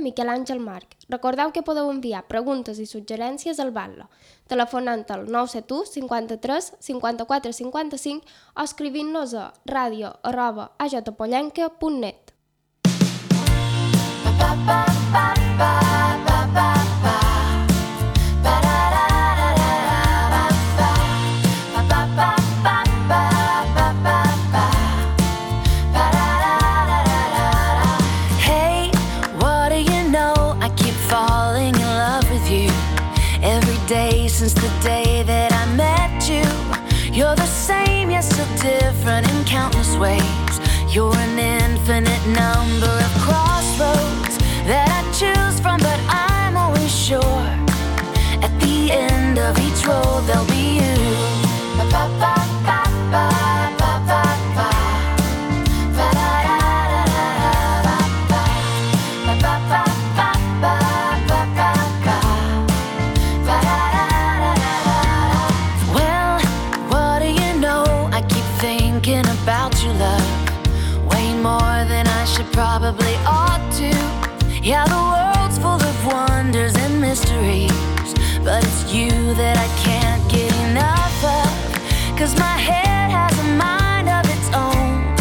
Miquel Àngel Marc. Recordeu que podeu enviar preguntes i suggerències al Batlle, telefonant al 971 53 54 55 o escrivint-nos a radio@ajpollenca.net. Since the day that I met you, you're the same, yet still different in countless ways. You're an infinite number of crossroads that I choose from, but I'm always sure at the end of each road there'll be you. Probably ought to. Yeah, the world's full of wonders and mysteries, but it's you that I can't get enough of. 'Cause my head has a mind of its own,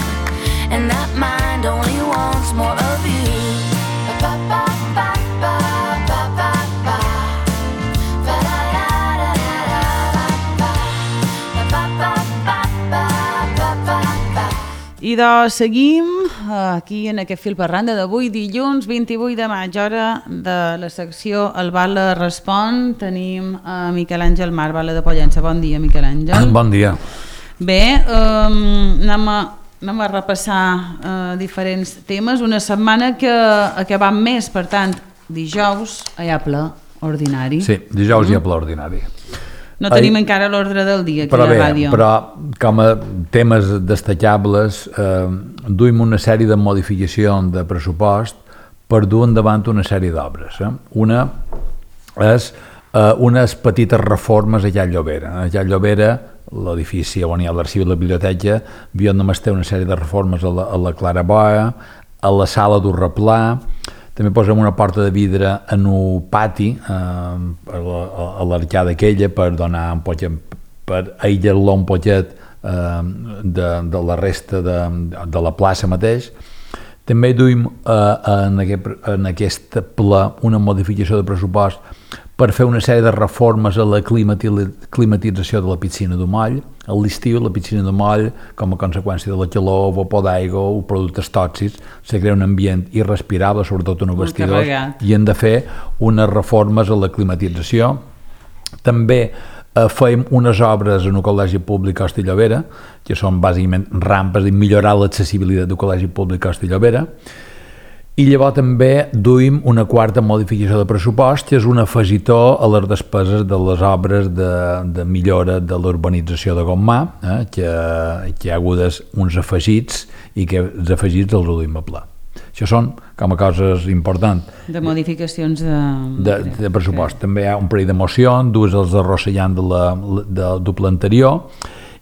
and that mind only wants more of you. I doncs seguim aquí en aquest fil per randa d'avui, dilluns 28 de maig, hora de la secció El Batlle Respon. Tenim a Miquel Àngel Marc, Batlle de Pollença. Bon dia, Miquel Àngel. Bon dia. Bé, anem a repassar diferents temes. Una setmana que ha acabat més, per tant, dijous hi ha ple ordinari. Sí, dijous hi ha ple ordinari. No tenim encara l'ordre del dia aquí a la ràdio. Però com a temes destacables duim una sèrie de modificacions de pressupost per dur endavant una sèrie d'obres. Una és unes petites reformes a Llall Llobera. A Llall Llobera, l'edifici on hi ha l'arxiu i la biblioteca, havien només té una sèrie de reformes a la Claraboia, a la sala d'Urreplà. També posem una porta de vidre en un pati a l'arcada aquella per donar un poquet, per aïllar-lo un poquet de la resta de la plaça mateix. També duim en aquest ple una modificació de pressupost per fer una sèrie de reformes a la climatització de la piscina de Moll. A l'estiu la piscina de Moll, com a conseqüència de la calor, vapor d'aigua o productes tòxics, se crea un ambient irrespirable, sobretot en els vestidors, i hem de fer unes reformes a la climatització. També fem unes obres en el Col·legi Públic Hoste i Llobera, que són bàsicament rampes i millorar l'accessibilitat del Col·legi Públic Hoste i Llobera. I llavors també duim una quarta modificació de pressupost, que és un afegitó a les despeses de les obres de millora de l'urbanització de Gommà, que hi ha hagut uns afegits i que els afegits els duim a pla. Això són com a coses importants. De modificacions de pressupost. També hi ha un parell de mocions, dues els arrossegant del ple anterior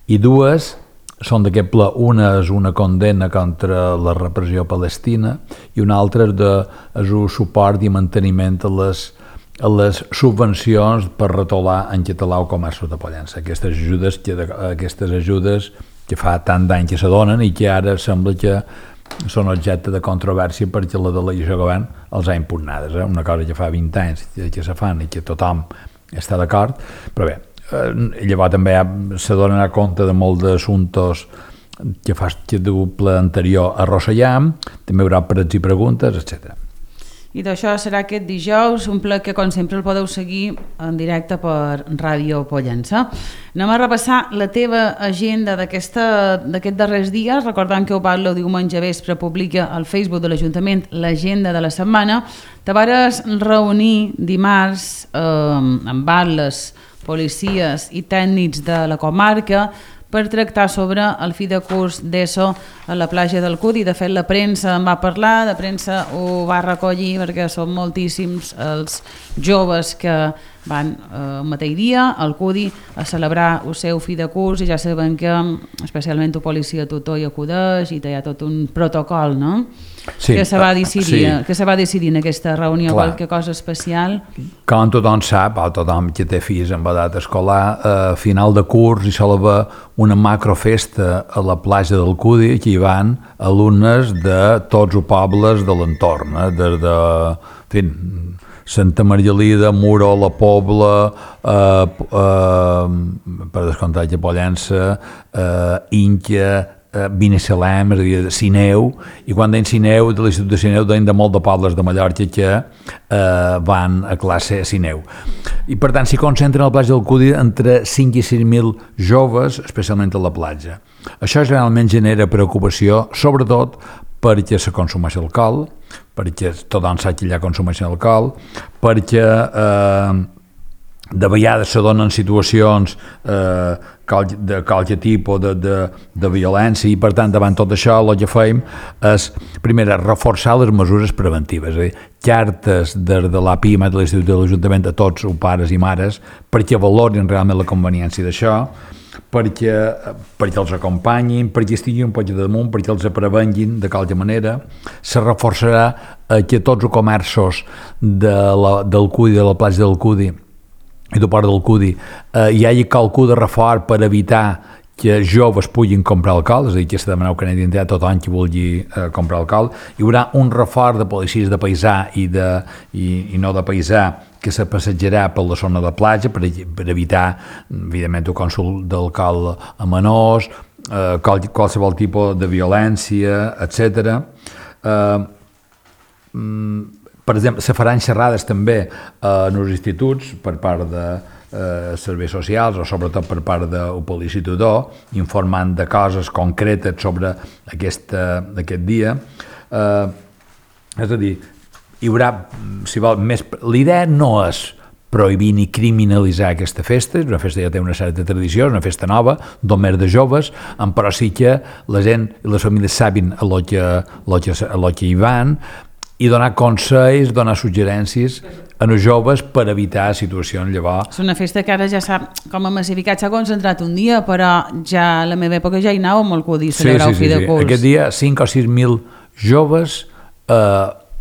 i dues són d'aquest ple. Una és una condemna contra la repressió palestina i una altra és un suport i manteniment a les subvencions per retolar en català el comerç de Pollença. Aquestes ajudes que fa tant d'any que se donen i que ara sembla que són objecte de controvèrsia perquè la delegació de govern els ha impugnades. Una cosa que fa 20 anys que se fan i que tothom està d'acord, però bé, llavors també se donen a compte de molts d'assumptes que del ple anterior arrossegam, també hi haurà pregs i preguntes, etc. I d'això serà aquest dijous, un ple que com sempre el podeu seguir en directe per Ràdio Pollença. Anem a repassar la teva agenda d'aquests darrers dies, recordant que el diumenge vespre publica al Facebook de l'Ajuntament l'agenda de la setmana. Te vares reunir dimarts amb batlles, policies i tècnics de la comarca per tractar sobre el fi de curs d'ESO a la platja del Cudi. De fet, la premsa en va parlar, la premsa ho va recollir perquè són moltíssims els joves que van el mateix dia al CUDI a celebrar el seu fi de curs i ja sabem que especialment la policia tutor hi acudeix i hi ha tot un protocol, no? Sí, que se va decidir, sí. que se va decidir en aquesta reunió, qualque cosa especial? Com tothom sap, o tothom que té fills en edat escolar, a final de curs hi sol haver una macrofesta a la platja del Cudi, que hi van alumnes de tots els pobles de l'entorn, des de Santa Margalida, Muro, La Pobla, per descomptat de Pollença, Inca, Binissalem, és a dir, Sineu, i quan deien Sineu, de l'Institut de Sineu, deien de molt de pobles de Mallorca que van a classe a Sineu. I per tant s'hi concentren a la platja del Cudi entre 5 i 6.000 joves, especialment a la platja. Això generalment genera preocupació, sobretot perquè se consumeix alcohol, perquè tothom sap que allà consumeixen alcohol, perquè de vegades se donen situacions de qualque tipus de violència, i per tant davant tot això el que fem és primer reforçar les mesures preventives, és a dir, cartes de l'APIMA, de l'Institut de l'Ajuntament, a tots els pares i mares perquè valorin realment la conveniència d'això, perquè els acompanyin, perquè estiguin un poc damunt, perquè els prevenguin de qualque manera. Se reforçarà que tots els comerços del Cudi, de la platja del Cudi i del port del Cudi, hi hagi qualcú de reforç per evitar que joves puguin comprar alcohol, és a dir, que s'ha de demanar una identitat a tothom qui vulgui comprar alcohol. Hi haurà un reforç de policies de paisà i no de paisà que se passejarà per la zona de platja per evitar, evidentment, el consum d'alcohol a menors, qualsevol tipus de violència, etc. Per exemple, se faran xerrades també en els instituts per part de serveis socials o sobretot per part del policia-tutor, informant de coses concretes sobre aquest dia. És a dir, hi haurà, si vol, més... L'idea no és prohibir ni criminalitzar aquesta festa, és una festa que ja té una certa tradició, és una festa nova, només de joves, però sí que la gent i les famílies sabin a lo que hi van, i donar consells, donar suggerències a els joves per evitar situacions llavors. És una festa que ara ja s'ha, com a massificat, s'ha concentrat un dia, però ja a la meva època ja hi anàvem al Cudi a celebrar el fi de curs. Aquest dia 5 o 6.000 joves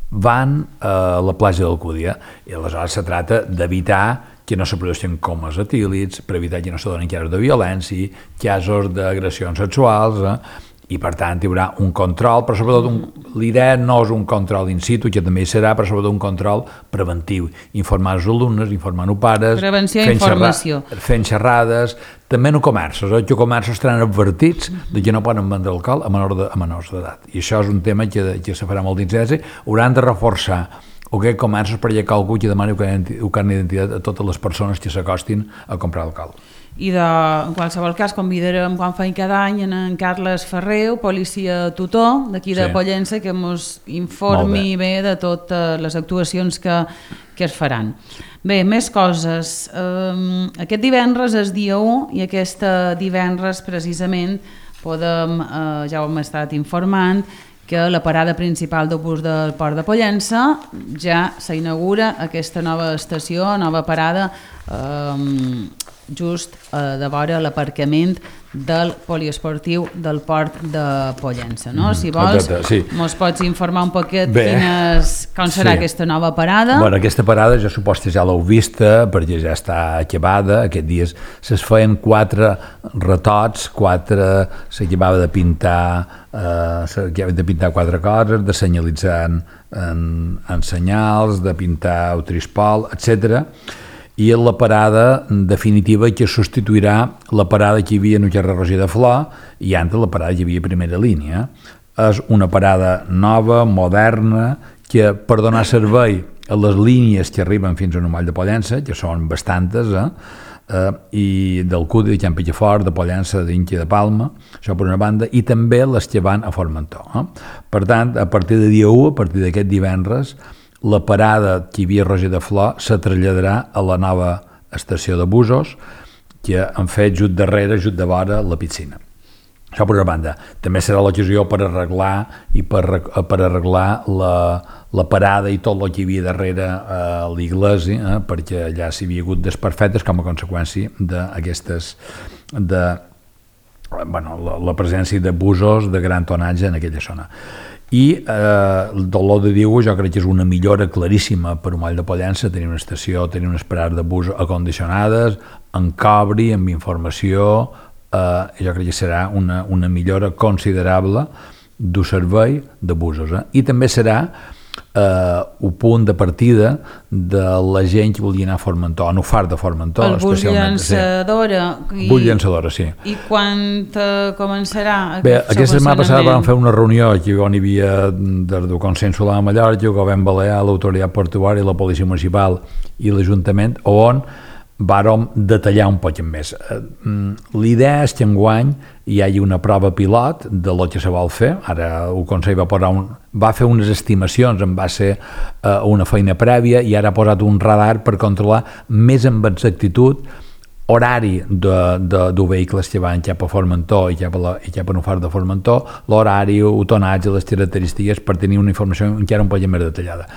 van a la platja del Cudi, i aleshores se trata d'evitar que no se produeixin comes etílids, per evitar que no se donin casos de violència, casos d'agressions sexuals, i per tant hi haurà un control, però sobretot l'idea no és un control in situ, que també hi serà, però sobretot un control preventiu, informar els alumnes, informant els pares, prevenció i informació, fent xerrades, també en comerços, que comerços estaran advertits de que no poden vendre alcohol a menors d'edat, i això és un tema que se farà molt d'incidència. Hauran de reforçar aquests comerços perquè algú que demani un carnet d'identitat a totes les persones que s'acostin a comprar alcohol. I en qualsevol cas convidarem, quan feim cada any, en Carles Ferreu, policia tutor d'aquí de Pollença, que ens informi bé de totes les actuacions que es faran. Bé, més coses. Aquest divendres és dia 1 i aquest divendres precisament podem, ja ho hem estat informant, que la parada principal d'autobús del Port de Pollença ja s'inaugura aquesta nova estació, nova parada, just de vora l'aparcament del poliesportiu del Port de Pollença. No? Si vols, ens pots informar un poquet com serà aquesta nova parada? Bueno, aquesta parada jo suposo que ja l'heu vista perquè ja està acabada. Aquests dies es feien 4 retots, s'acabava de pintar 4 coses, de senyalitzar en senyals, de pintar el trispol, etc. I la parada definitiva que substituirà la parada que hi havia en el carrer Roger de Flor i antes la parada que hi havia a primera línia. És una parada nova, moderna, que per donar servei a les línies que arriben fins a Moll de Pollença, que són bastantes, i del Cudi, de Can Pitjafort, de Pollença, d'Inca i de Palma, això per una banda, i també les que van a Formentor. Per tant, a partir de dia 1, a partir d'aquest divendres, la parada que hi havia a Roger de Flor se traslladarà a la nova estació de busos que han fet just darrere, just de vora, la piscina. Això per una banda. També serà l'ocasió per arreglar la parada i tot el que hi havia darrere a l'església, perquè allà s'hi havia hagut desperfectes com a conseqüència d'aquestes la presència de busos de gran tonatge en aquella zona. I el Dolor de Diu jo crec que és una millora claríssima per un Moll de Pollença, tenir una estació, tenir unes parades de bus acondicionades, amb cobri, amb informació, jo crec que serà una millora considerable del servei de busos. I també serà un punt de partida de la gent que volia anar a Formentor, a Nufar de Formentor. El bus llançadora. Bus llançadora, sí. I quan començarà? Bé, aquesta setmana passada vam fer una reunió aquí on hi havia des del Consell Solar de Mallorca, el Govern Balear, l'Autoritat Portuària, la Policia Municipal i l'Ajuntament, on vàrem detallar un poc més. L'idea és que enguany hi hagi una prova pilot de lo que se vol fer. Ara el Consell va fer unes estimacions en base a una feina prèvia i ara ha posat un radar per controlar més amb exactitud horari de vehicles que van cap a Formentor i cap a Nufar de Formentor, l'horari, el tonatge, les característiques, per tenir una informació encara un poc més detallada.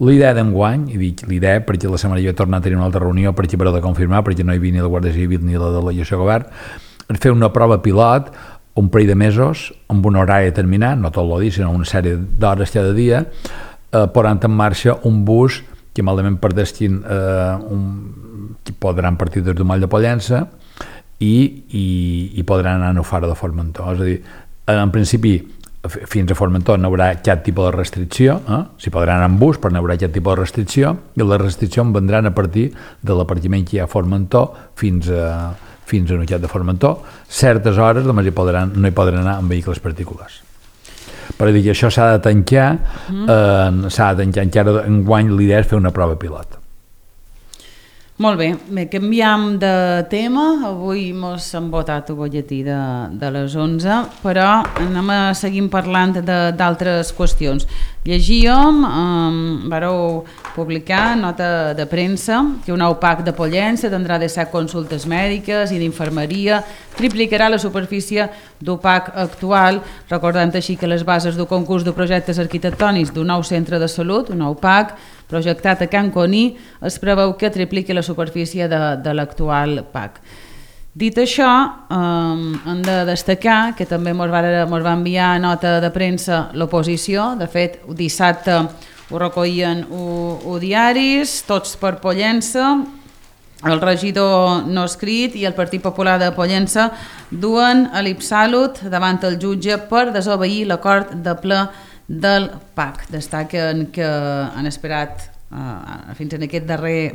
L'idea d'enguany, i dic l'idea perquè la setmana jo he tornat a tenir una altra reunió perquè per de confirmar, perquè no hi havia ni la Guàrdia Civil ni la delegació de govern, fer una prova pilot un parell de mesos amb un horari determinat, no tot el dia, sinó una sèrie d'hores cada dia, posant en marxa un bus que malament perdessin que podran partir des del Moll de Pollença i podran anar a Nufar de Formentor. És a dir, en principi fins a Formentor no hi haurà cap tipus de restricció, s'hi podran anar en bus però no hi haurà cap tipus de restricció, i les restriccions vendran a partir de l'apartiment que hi ha a Formentor fins a Nutxat de Formentor. Certes hores només no hi podran anar amb vehicles particulars. Per dir que això s'ha de tancar, encara enguany l'idea és fer una prova pilot. Molt bé, canviem de tema. Avui mos hem votat el butlletí de les 11, però anem a seguir parlant d'altres qüestions. Llegíem, vareu publicar nota de premsa, que un nou PAC de Pollença tindrà de 7 consultes mèdiques i d'infermeria, triplicarà la superfície del PAC actual, recordant així que les bases del concurs de projectes arquitectònics d'un nou centre de salut, un nou PAC, projectat a Can Coní, es preveu que tripliqui la superfície de l'actual PAC. Dit això, hem de destacar que també ens va enviar nota de premsa l'oposició. De fet, dissabte ho recollien els diaris, tots per Pollença, el regidor no escrit i el Partit Popular de Pollença duen a l'Ipsalut davant el jutge per desobeir l'acord de ple del PAC. Destaquen que han esperat fins en aquest darrer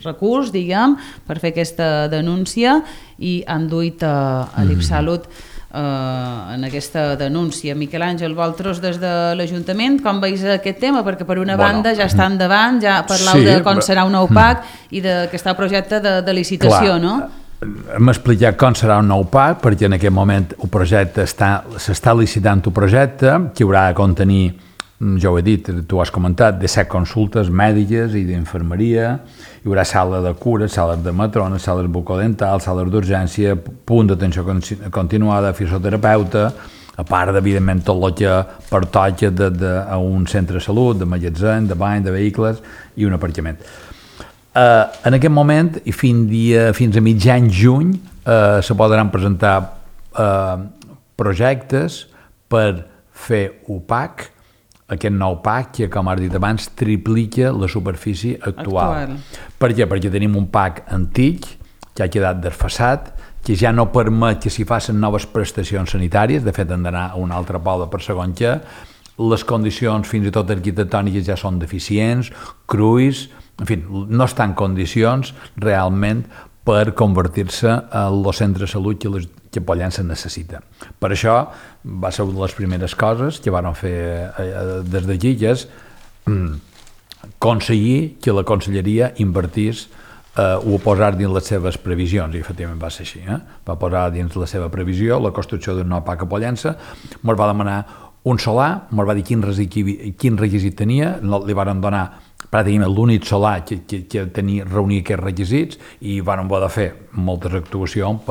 recurs, diguem, per fer aquesta denúncia i han duit a l'Ipsalut en aquesta denúncia. Miquel Àngel, vosaltres des de l'Ajuntament, com veus aquest tema? Perquè per una banda ja està endavant, ja parlau de com serà un nou PAC i que està el projecte de licitació, no? Hem explicat com serà un nou PAC, perquè en aquest moment el projecte s'està licitant el projecte, que haurà de contenir, ja ho he dit, tu ho has comentat, de 7 consultes mèdiques i d'infermeria, hi haurà sala de cures, sales de matrones, sales bucodentals, sales d'urgència, punt d'atenció continuada, fisioterapeuta, a part, evidentment, tot el que pertoca a un centre de salut, de magatzem, de bany, de vehicles i un aparcament. En aquest moment, i fins a mitjan juny, se podran presentar projectes per fer un PAC, aquest nou PAC que, com has dit abans, triplica la superfície actual. Per què? Perquè tenim un PAC antic que ha quedat desfasat, que ja no permet que s'hi facin noves prestacions sanitàries, de fet han d'anar a un altre poble per segon que, les condicions fins i tot arquitectòniques ja són deficients, cruis, en fi, no estan en condicions realment per convertir-se en el centre de salut que Pollença necessita. Per això va ser una de les primeres coses que van fer des d'aquí, que és aconseguir que la Conselleria invertís ho posar dins les seves previsions, i efectivament va ser així. Va posar dins la seva previsió la construcció d'un nou PAC a Pollença, ens va demanar un solar, ens va dir quin requisit tenia, li van donar pràcticament l'únic solar que reunia aquests requisits, i van haver de fer moltes actuacions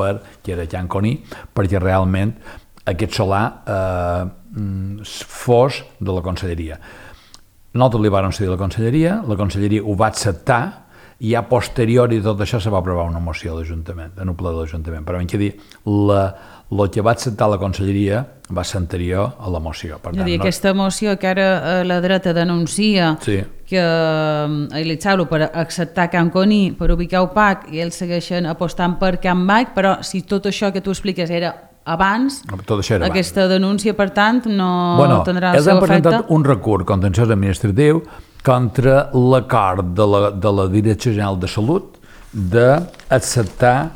que era Can Coní, perquè realment aquest solar fos de la conselleria. Nosaltres li vam cedir a la conselleria ho va acceptar, i a posteriori de tot això se va aprovar una moció a l'Ajuntament, en un ple de l'Ajuntament. Però que dir, el que va acceptar la conselleria va ser anterior a la moció. Per tant, aquesta moció que ara la dreta denuncia que l'Itzaulo per acceptar Can Coní, per ubicar UPAC, i ells segueixen apostant per Can Bac, però si tot això que tu expliques era abans, aquesta denúncia, per tant, no tindrà el seu efecte. Ells han presentat un recurs contenciós administratiu contra l'acord de la Direcció General de Salut d'acceptar,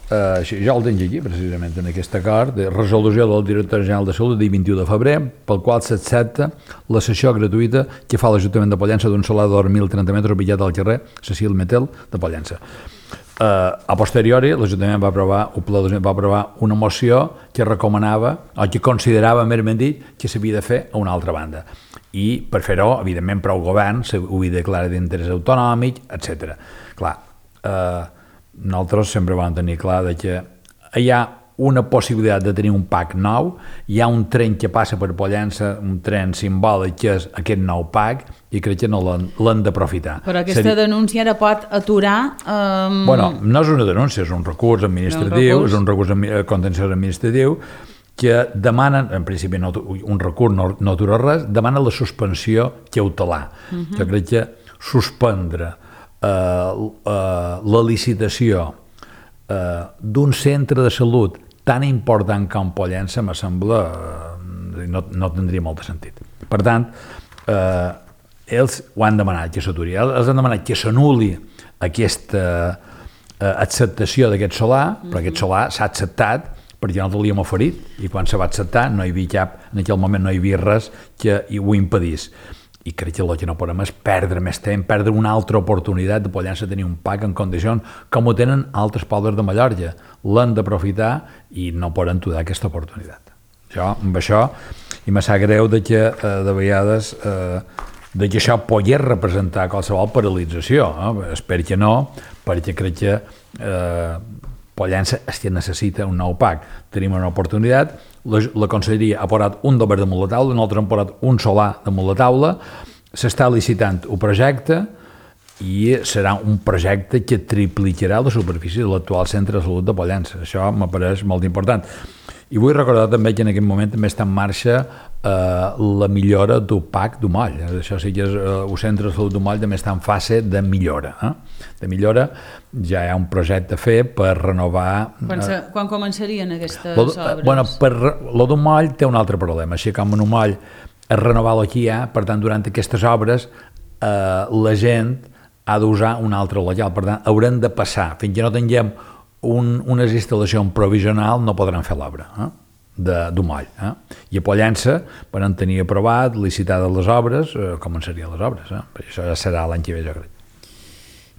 jo el tinc aquí precisament en aquest acord, de resolució del Director General de Salut del 21 de febrer, pel qual s'accepta la cessió gratuïta que fa l'Ajuntament de Pollença d'un solar de 2.030 metres ubicat al carrer Cecil Metel de Pollença. A posteriori, l'Ajuntament va aprovar una moció que recomanava, o que considerava, més ben dit, que s'havia de fer a una altra banda. I per fer-ho, evidentment, prou govern ho havia declarat d'interès autonòmic, etc. Clar, nosaltres sempre vam tenir clar que hi ha una possibilitat de tenir un PAC nou, hi ha un tren que passa per Pollença, un tren simbòlic que és aquest nou PAC, i crec que no l'han d'aprofitar. Però aquesta denúncia ara pot aturar... Bueno, no és una denúncia, és un recurs administratiu, és un recurs contenciós administratiu, que demanen, en principi un recurs no atura res, demanen la suspensió cautelar. Jo crec que suspendre la licitació d'un centre de salut tan important com Pollença me sembla no tindria molt de sentit. Per tant, ells ho han demanat que s'aturi, ells han demanat que s'anul·li aquesta acceptació d'aquest solar, però aquest solar s'ha acceptat perquè nosaltres l'havíem oferit, i quan se va acceptar no hi havia en aquell moment no hi havia res que ho impedís. I crec que el que no podem és perdre més temps, perdre una altra oportunitat de Pollença tenir un PAC en condicions com ho tenen altres pobles de Mallorca. L'han d'aprofitar i no poden aturar aquesta oportunitat. Amb això, i me sap greu que de vegades que això pogués representar qualsevol paralització. Espero que no, perquè crec que Pollença és que necessita un nou PAC. Tenim una oportunitat, la conselleria ha posat un dober damunt la taula, nosaltres hem posat un solar damunt la taula, s'està licitant un projecte i serà un projecte que triplicarà la superfície de l'actual centre de salut de Pollença. Això m'apareix molt important. I vull recordar també que en aquest moment també està en marxa la millora del PAC d'Umoll. Això sí que és el centre de salut d'Umoll també està en fase de millora. De millora, ja hi ha un projecte a fer per renovar... Quan començarien aquestes obres? Bueno, lo d'Umoll té un altre problema. Així com en Umoll es renova el que hi ha, per tant, durant aquestes obres la gent ha d'usar un altre local. Per tant, haurem de passar. Fins que no tinguem unes instal·lacions provisionals no podran fer l'obra d'Umoll. I a Pollença, per tenir aprovat, licitades les obres, començarien les obres. Això ja serà l'any que ve, jo crec.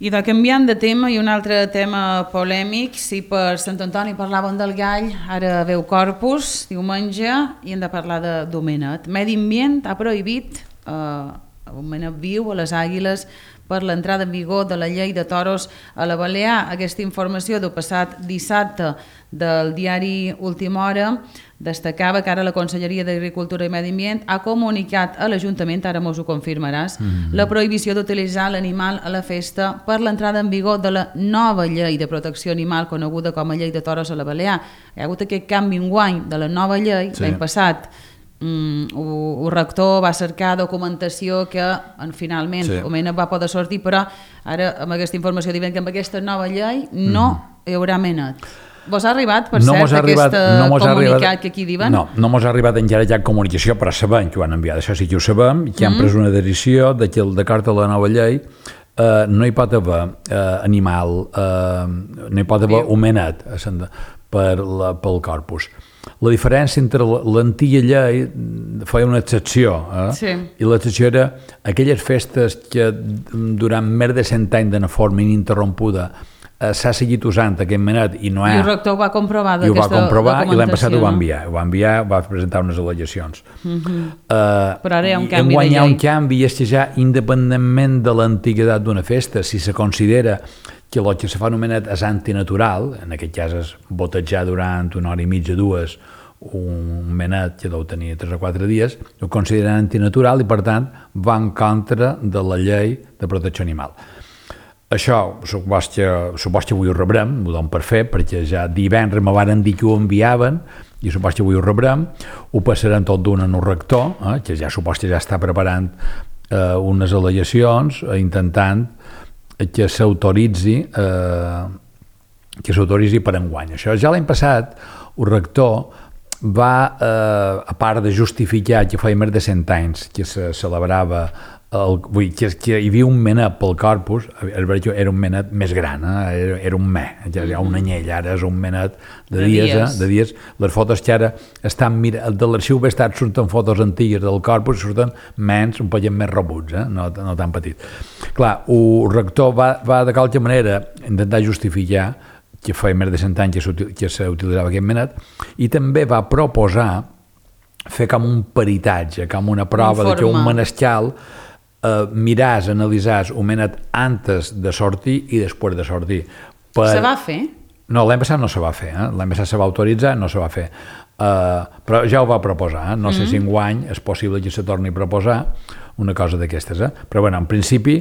I canviant de tema, i un altre tema polèmic, si per Sant Antoni parlàvem del gall, ara veu Corpus, diumenge, i hem de parlar de Domenet. Medi Ambient ha prohibit Domenet viu a les Àguiles per l'entrada en vigor de la llei de toros a la Balear. Aquesta informació del passat dissabte del diari Última Hora destacava que ara la Conselleria d'Agricultura i Medi Ambient ha comunicat a l'Ajuntament, ara mos ho confirmaràs, la prohibició d'utilitzar l'animal a la festa per l'entrada en vigor de la nova llei de protecció animal coneguda com a llei de toros a la Balear. Hi ha hagut aquest canvi enguany de la nova llei, l'any passat. El rector va cercar documentació que finalment Domenet va poder sortir, però ara amb aquesta informació diuen que amb aquesta nova llei no hi haurà menet. Vos ha arribat, per cert, aquest comunicat que aquí diuen? No mos ha arribat encara cap comunicació, però sabem que ho han enviat, això sí que ho sabem, que han pres una decisió de que d'acord a la nova llei no hi pot haver animal, no hi pot haver homenet pel corpus. La diferència entre l'antiga llei feia una excepció, i l'excepció era aquelles festes que durant més de 100 anys d'una forma ininterrompuda s'ha seguit usant aquest menet i no I el rector ho va comprovar i ho va comprovar i l'any passat ho va no? enviar, va presentar unes al·legacions. Però ara hi ha un canvi de hi ha llei. un canvi, és que ja independentment de l'antiguitat d'una festa, si se considera que el que se fa anomenat és antinatural, en aquest cas és botejar durant una hora i mitja, dues, un menet que deu tenir 3 o 4 dies, ho consideren antinatural i per tant va en contra de la llei de protecció animal. Això supos que avui ho rebrem, ho dono per fer, perquè ja divendres me varen dir que ho enviaven i supos que avui ho rebrem, ho passaran tot d'un en un rector, que ja supos que ja està preparant unes al·legacions intentant que s'autoritzi per enguany. Això ja l'any passat el rector va, a part de justificar que feia més de 100 anys que se celebrava que hi havia un menet pel Corpus, era un menet més gran, era un ja hi ha un anyell, ara és un menet de dies. Les fotos que ara estan de l'arxiu Bestat surten fotos antigues del Corpus, surten menys, un poquet més rebuts, no tan petit. Clar, el rector va de qualque manera intentar justificar que feia més de 100 anys que s'utilitzava aquest menet, i també va proposar fer com un peritatge, com una prova de que un menescal miràs, analitzàs un menet antes de sortir i després de sortir. Se va fer? No, l'any passat no se va fer, l'any passat se va autoritzar, no se va fer. Però ja ho va proposar, no sé si enguany és possible que se torni a proposar una cosa d'aquestes. Però bueno, en principi,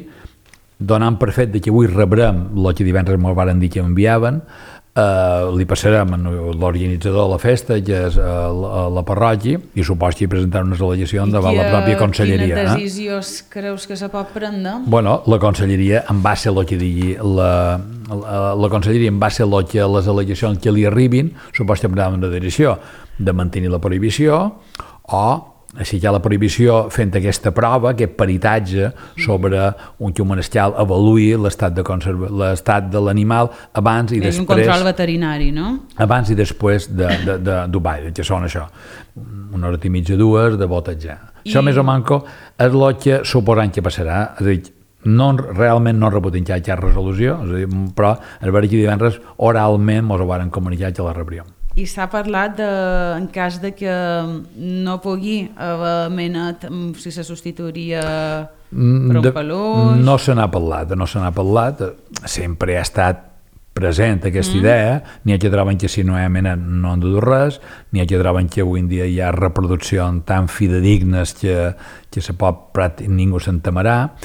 donant per fet que avui rebrem el que divendres m'ho varen dir que enviaven, li passarem a l'organitzador de la festa, que és la parròquia, i supos que hi presentaran unes al·legacions davant la pròpia conselleria. Quina decisió creus que se pot prendre? Bueno, la conselleria en va ser el que digui la conselleria en va ser el que les al·legacions que li arribin supos que prendran una decisió de mantenir la prohibició o així que la prohibició fent aquesta prova, aquest peritatge sobre que un menescal avaluï l'estat de l'animal abans i després... És un control veterinari, no? Abans i després de Dubai, que són això, una hora i mitja, dues, de botejar. Això més o manco és el que suposant que passarà, és a dir, realment no reputin que hi ha resolució, però el veure que divendres oralment ens ho varen comunicar que la rebríem. I s'ha parlat en cas de que no pugui haver menet, si se substituiria per un peluix? No se n'ha parlat, sempre ha estat present aquesta idea, n'hi ha que troben que si no hi ha menet no han de dur res, n'hi ha que troben que avui en dia hi ha reproduccions tan fidedignes que se pot ningú se'n temerà.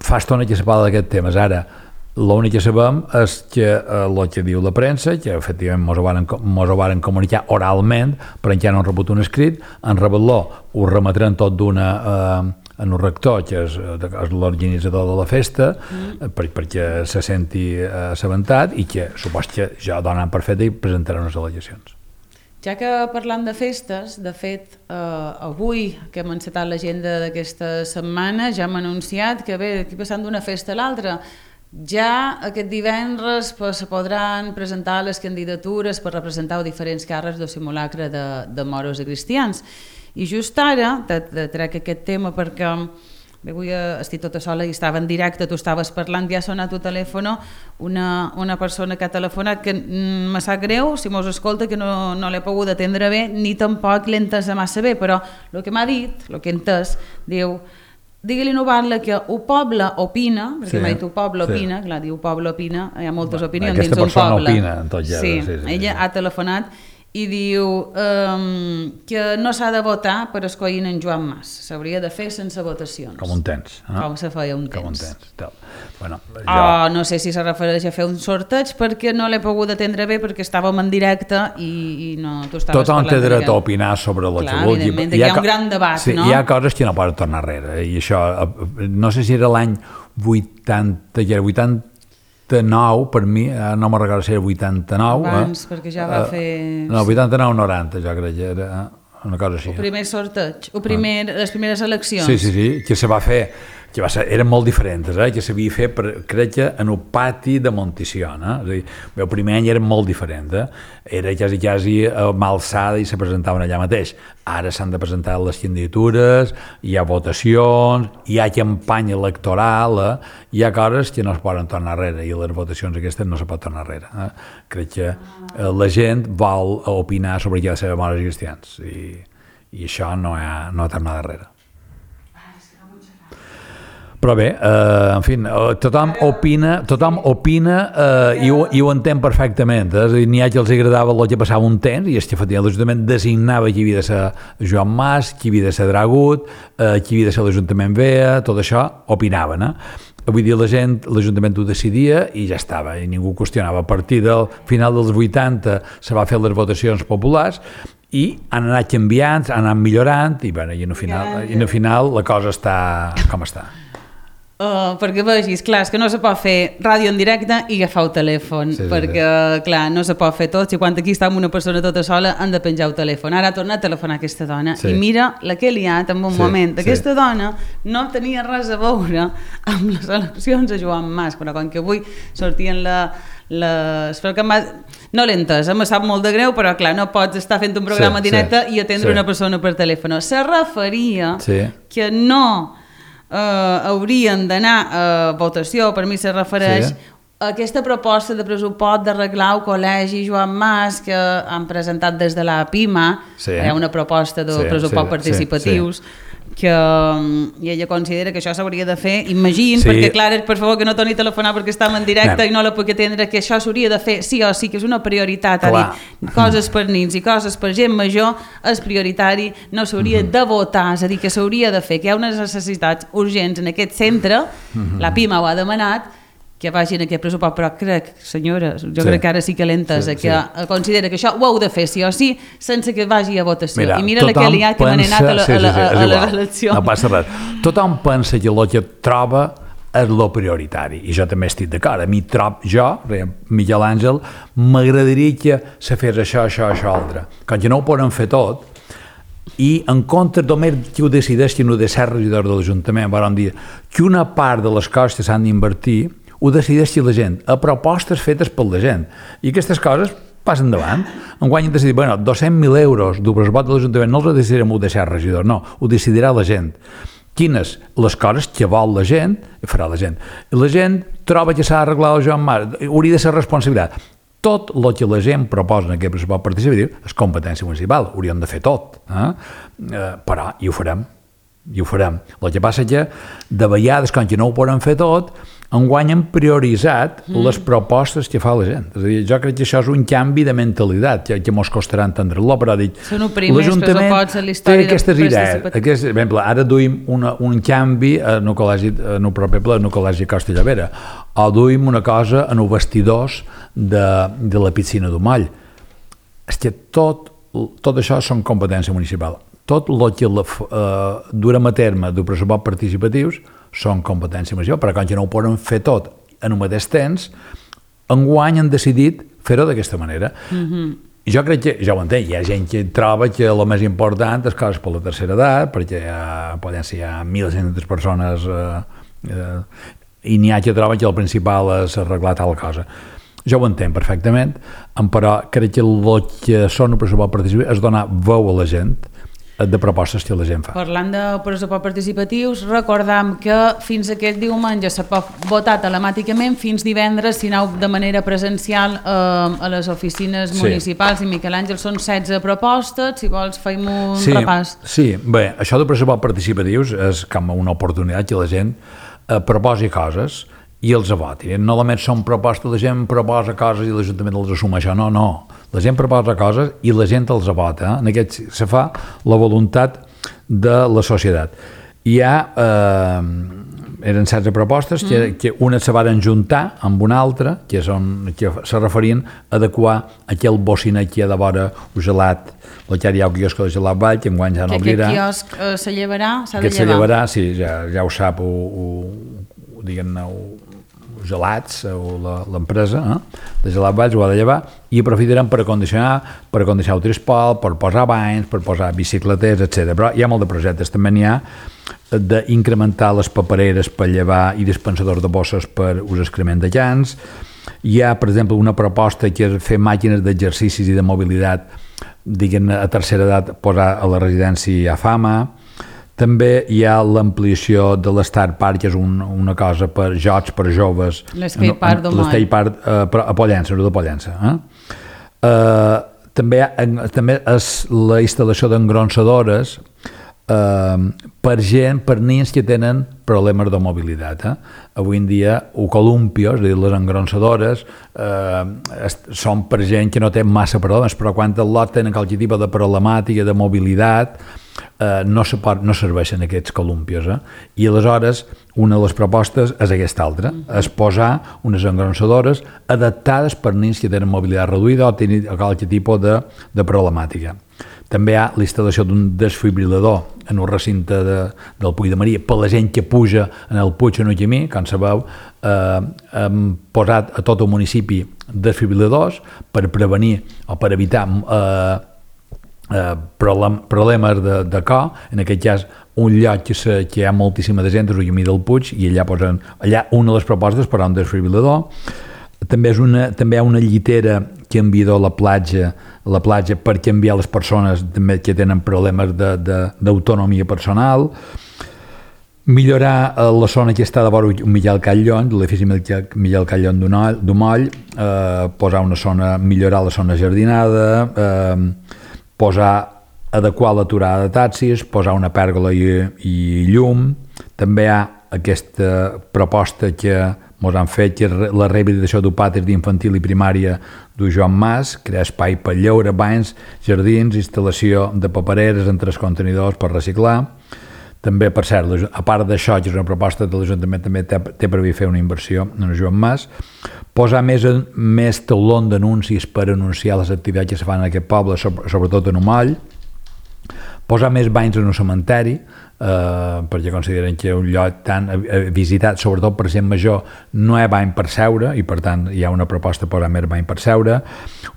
Fa estona que se parla d'aquest temes, ara l'únic que sabem és que el que diu la premsa, que efectivament mos ho varen comunicar oralment, però encara no han rebut un escrit, en rebel·lo ho remetran tot d'una en el rector, que és l'organitzador de la festa, perquè se senti assabentat i que supos que ja donen per fet i presentaran unes al·legacions. Ja que parlant de festes, de fet, avui que hem encetat l'agenda d'aquesta setmana ja hem anunciat que aquí passant d'una festa a l'altra, ja aquest divendres se podran presentar les candidatures per representar diferents càrrecs de simulacre de moros i cristians. I just ara trec aquest tema perquè avui estic tota sola i estava en directe, tu estaves parlant, ja ha sonat el telèfon una persona que ha telefonat que me sap greu, si mos escolta, que no l'he pogut atendre bé ni tampoc l'he entès massa bé, però el que m'ha dit, el que he entès, diu: digue-li no parla que el poble opina, perquè m'ha dit el poble opina, clar, diu poble opina, hi ha moltes opinions dins un poble. Aquesta persona opina en tot ja. Sí, ella ha telefonat i diu que no s'ha de votar per escollir en Joan Mas, s'hauria de fer sense votacions. Com un temps. Com se feia un temps. Com un temps. Bueno, no sé si se refereix a fer un sorteig perquè no l'he pogut atendre bé perquè estàvem en directe i no, tu estaves parlant. Tothom té dret a opinar sobre la que vulgui. Evidentment, hi ha un gran debat, no? Hi ha coses que no poden tornar enrere i això, no sé si era l'any 89, per mi, no me'n recordo si era 89. Abans, perquè ja va fer... No, 89-90, jo crec que era una cosa així. El primer sorteig, les primeres eleccions. Sí, que se va fer, que eren molt diferents, que s'havia fet, crec que en el pati de Monticiona. És a dir, el primer any eren molt diferents, era quasi a mà alçada i se presentaven allà mateix. Ara s'han de presentar les candidatures, hi ha votacions, hi ha campanya electoral, hi ha coses que no es poden tornar enrere, i les votacions aquestes no se pot tornar enrere. Crec que la gent vol opinar sobre qui ha de ser memòries cristians, i això no ha tornat enrere. Però bé, en fi, tothom opina i ho entén perfectament. És a dir, n'hi ha que els agradava el que passava un temps, i és que efectivament l'Ajuntament designava qui havia de ser Joan Mas, qui havia de ser Dragut, qui havia de ser l'Ajuntament Vea, tot això opinaven. Vull dir, l'Ajuntament ho decidia i ja estava, i ningú qüestionava. A partir del final dels 80 se va fer les votacions populars i han anat canviant, han anat millorant, i al final la cosa està com està. Perquè vegis, clar, és que no se pot fer ràdio en directe i agafar el telèfon, perquè, clar, no se pot fer tot. Si quan aquí està amb una persona tota sola han de penjar el telèfon. Ara ha tornat a telefonar aquesta dona i mira la que he liat en un moment. Aquesta dona no tenia res a veure amb les eleccions a Joan Mas, però com que avui sortien no l'he entès, me sap molt de greu, però clar, no pots estar fent un programa directe i atendre una persona per telèfon. Se referia que no haurien d'anar a votació, per mi se refereix a aquesta proposta de pressupost d'arreglar el col·legi Joan Mas que han presentat des de la PIMA. Hi ha una proposta de pressupost participatius que ella considera que això s'hauria de fer, perquè clar, per favor que no torni a telefonar perquè estem en directe i no la puc atendre, que això s'hauria de fer sí o sí, que és una prioritat, coses per nins i coses per gent major és prioritari, no s'hauria de votar, és a dir, que s'hauria de fer, que hi ha unes necessitats urgents en aquest centre, la PIMA ho ha demanat, que vagin a aquest pressupost, però crec, senyora, crec que ara sí que l'entesa, que considera que això ho heu de fer sí o sí, sense que vagi a votació. I mira la que li ha que m'han anat a les eleccions. No passa res. Tothom pensa que el que troba és lo prioritari, i jo també estic d'acord. A mi Miquel Àngel, m'agradaria que se fes això, altre. Com que no ho poden fer tot, i en compte només qui ho decideix, qui no ha de ser regidor de l'Ajuntament, vam dir que una part de les coses que s'han d'invertir ho decideixi la gent, a propostes fetes per la gent. I aquestes coses passen endavant. Enguany hem decidit, 200.000 euros del pressupost de l'Ajuntament no els decidirem ho deixar regidor, no, ho decidirà la gent. Quines? Les coses que vol la gent, farà la gent. La gent troba que s'ha d'arreglar el Joan Mas, hauria de ser responsabilitat. Tot el que la gent proposa en aquest pressupost participatiu és competència municipal, hauríem de fer tot, però i ho farem. El que passa és que de vegades, quan no ho poden fer tot, enguany hem prioritzat les propostes que fa la gent. És a dir, jo crec que això és un canvi de mentalitat que mos costarà entendre-lo, però dic, l'Ajuntament té aquestes idees. Ara duim un canvi en el proper ple, en el col·legi Costa Llavera, o duim una cosa en els vestidors de la piscina d'Umoll. És que tot això són competència municipal. Tot el que durem a terme de pressupost participatius són competència municipal, però quan no ho poden fer tot en el mateix temps, enguany han decidit fer-ho d'aquesta manera. Jo crec que, ja ho entenc, hi ha gent que troba que el més important és coses per la tercera edat, perquè poden ser 1.500 persones i n'hi ha que troben que el principal és arreglar tal cosa. Jo ho entenc perfectament, però crec que el que són el pressupost participatiu és donar veu a la gent de propostes que la gent fa. Parlant de pressupost participatius, recordam que fins aquest diumenge se pot votar telemàticament, fins divendres si aneu de manera presencial a les oficines municipals. I Miquel Àngel, són 16 propostes, si vols feim un repàs. Sí, bé, això de pressupost participatius és com una oportunitat que la gent proposi coses i els voti. No només són propostes, la gent proposa coses i l'Ajuntament els assuma això, no. La gent proposa coses i la gent els vota. En aquest se fa la voluntat de la societat. Eren 16 propostes que una se van juntar amb una altra, que se referien a adequar aquell bocinet que hi ha de vora el gelat, el que hi ha el quiosc de gelat Vall, que enguany ja no obrirà. Que aquest quiosc se llevarà, s'ha de llevar. Aquest se llevarà, sí, ja ho sap, diguem-ne, gelats, o l'empresa de gelat Valls ho ha de llevar, i aprofitarem per acondicionar el trispol, per posar banys, per posar bicicleters, etc. Però hi ha molt de projectes. També n'hi ha d'incrementar les papereres per llevar i dispensadors de bosses per ús excrement de llans. Hi ha, per exemple, una proposta que és fer màquines d'exercicis i de mobilitat, diguem, a tercera edat, posar a la residència a Fama. També hi ha l'ampliació de l'Star Park, que és una cosa per jocs per joves. L'Skate Park d'Omall. L'Skate Park a Pollença, no de Pollença. També és la instal·lació d'engronsadores per nens que tenen problemes de mobilitat. Avui en dia, columpios, és a dir, les engronsadores, són per gent que no té massa problemes, però quan el lot tenen qualsevol tipus de problemàtica de mobilitat, no serveixen aquests columpios. I aleshores, una de les propostes és aquesta altra, és posar unes engronsadores adaptades per nens que tenen mobilitat reduïda o tenen qualsevol tipus de problemàtica. També hi ha l'instal·lació d'un desfibrilador en un recinte del Puig de Maria per la gent que puja en el Puig en un camí. Com sabeu, hem posat a tot el municipi desfibriladors per prevenir o per evitar problemes de cor. En aquest cas, un lloc que hi ha moltíssima de gent és el camí del Puig, i allà una de les propostes per a un desfibrilador. També hi ha una llitera que envia a la platja per canviar les persones també que tenen problemes d'autonomia personal. Millorar la zona que està de vora Miquel Catllon, l'edifici Miquel Catllon d'Omoll, millorar la zona jardinada, adequar l'aturada de taxis, posar una pèrgola i llum. També hi ha aquesta proposta que ens han fet, que és la rehabilitació d'upàters d'infantil i primària d'un Joan Mas, crear espai per lleure, banys, jardins, instal·lació de papereres en 3 contenidors per reciclar. També, per cert, a part d'això, que és una proposta de l'Ajuntament, també té previst fer una inversió en el Joan Mas, posar més taulons d'anuncis per anunciar les activitats que se fan en aquest poble, sobretot en Omoll, posar més banys en un cementeri, perquè consideren que un lloc tan visitat, sobretot per gent major, no hi ha bany per seure, i per tant hi ha una proposta per posar més bany per seure.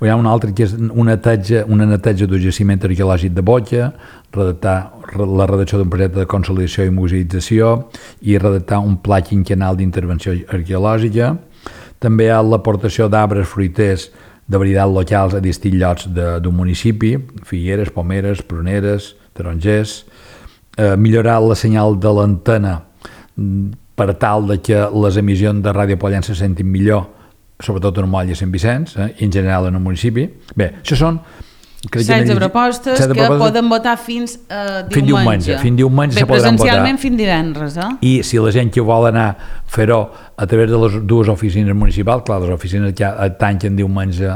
Hi ha una altra que és una neteja del jaciment arqueològic de Botja, redactar la redacció d'un projecte de consolidació i museïtzació i redactar un pla quinquennal d'intervenció arqueològica. També hi ha l'aportació d'arbres fruiters de varietats locals a distints llocs d'un municipi, figueres, pomeres, pruneres, tarongers. Millorar la senyal de l'antena per tal que les emissions de Ràdio Pollença se sentin millor, sobretot en Moll i Sant Vicenç, i en general en el municipi. Bé, això són 16 propostes que poden votar fins diumenge. Fins diumenge se podran votar. Presencialment fins divendres. I si la gent que vol anar a fer-ho a través de les dues oficines municipals, clar, les oficines ja tanquen diumenge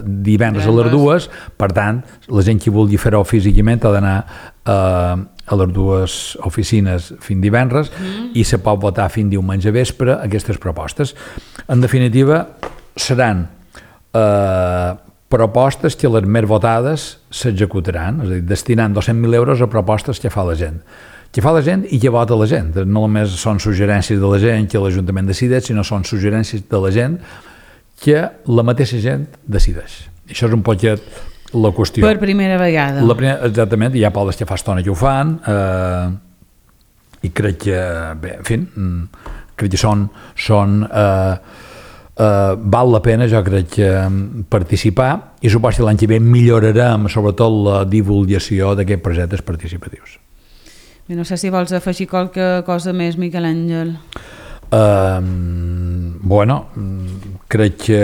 divendres a les dues, per tant, la gent que vulgui fer-ho físicament ha d'anar a les dues oficines fins divendres i se pot votar fins diumenge vespre aquestes propostes. En definitiva, seran propostes que les més votades s'executaran, és a dir, destinant 200.000 euros a propostes que fa la gent. Que fa la gent i que vota la gent. No només són suggerències de la gent que l'Ajuntament decideix, sinó són suggerències de la gent que la mateixa gent decideix. Això és un poquet la qüestió. Per primera vegada. Exactament, hi ha pobles que fa estona que ho fan, i crec que, bé, en fi, crec que són val la pena, jo crec, participar, i suposo que l'any que ve millorarem sobretot la divulgació d'aquests projectes participatius. No sé si vols afegir qualque cosa més, Miquel Àngel. Bueno, crec que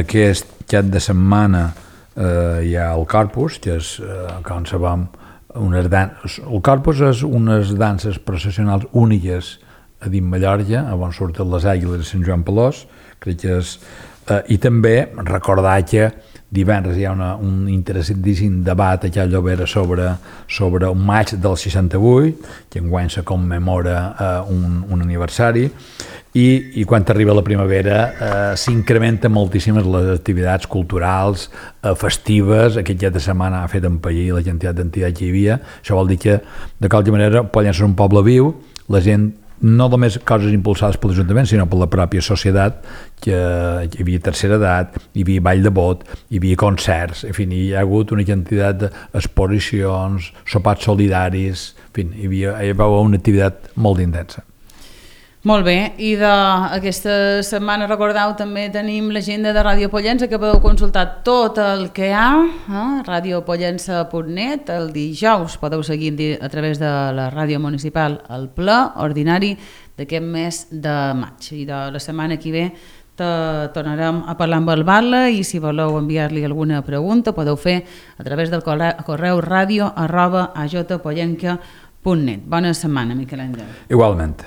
aquest cap de setmana hi ha el Corpus, que és, com sabem, el Corpus és unes danses processionals úniques a dins Mallorca, on surten les àguiles de Sant Joan Pelós, crec que és... I també recordar que divendres hi ha un interessantíssim debat a Cal Llobera sobre un maig del 68, que enguany se commemora un aniversari, i quan arriba la primavera s'incrementen moltíssimes les activitats culturals, festives. Aquest cap de setmana ha fet empallir la quantitat d'entitats que hi havia. Això vol dir que, de qualsevol manera, Pollença és un poble viu, la gent no només coses impulsades per l'Ajuntament, sinó per la pròpia societat, que hi havia tercera edat, hi havia ball de bot, hi havia concerts, en fi, hi ha hagut una quantitat d'exposicions, sopars solidaris, en fi, hi va haver una activitat molt intensa. Molt bé, i d'aquesta setmana, recordeu, també tenim l'agenda de Ràdio Pollença, que podeu consultar tot el que hi ha a radiopollença.net. El dijous podeu seguir a través de la ràdio municipal el ple ordinari d'aquest mes de maig. I de la setmana que ve tornarem a parlar amb el Batlle, i si voleu enviar-li alguna pregunta podeu fer a través del correu radio@ajpollenca.net. Bona setmana, Miquel Àngel. Igualment.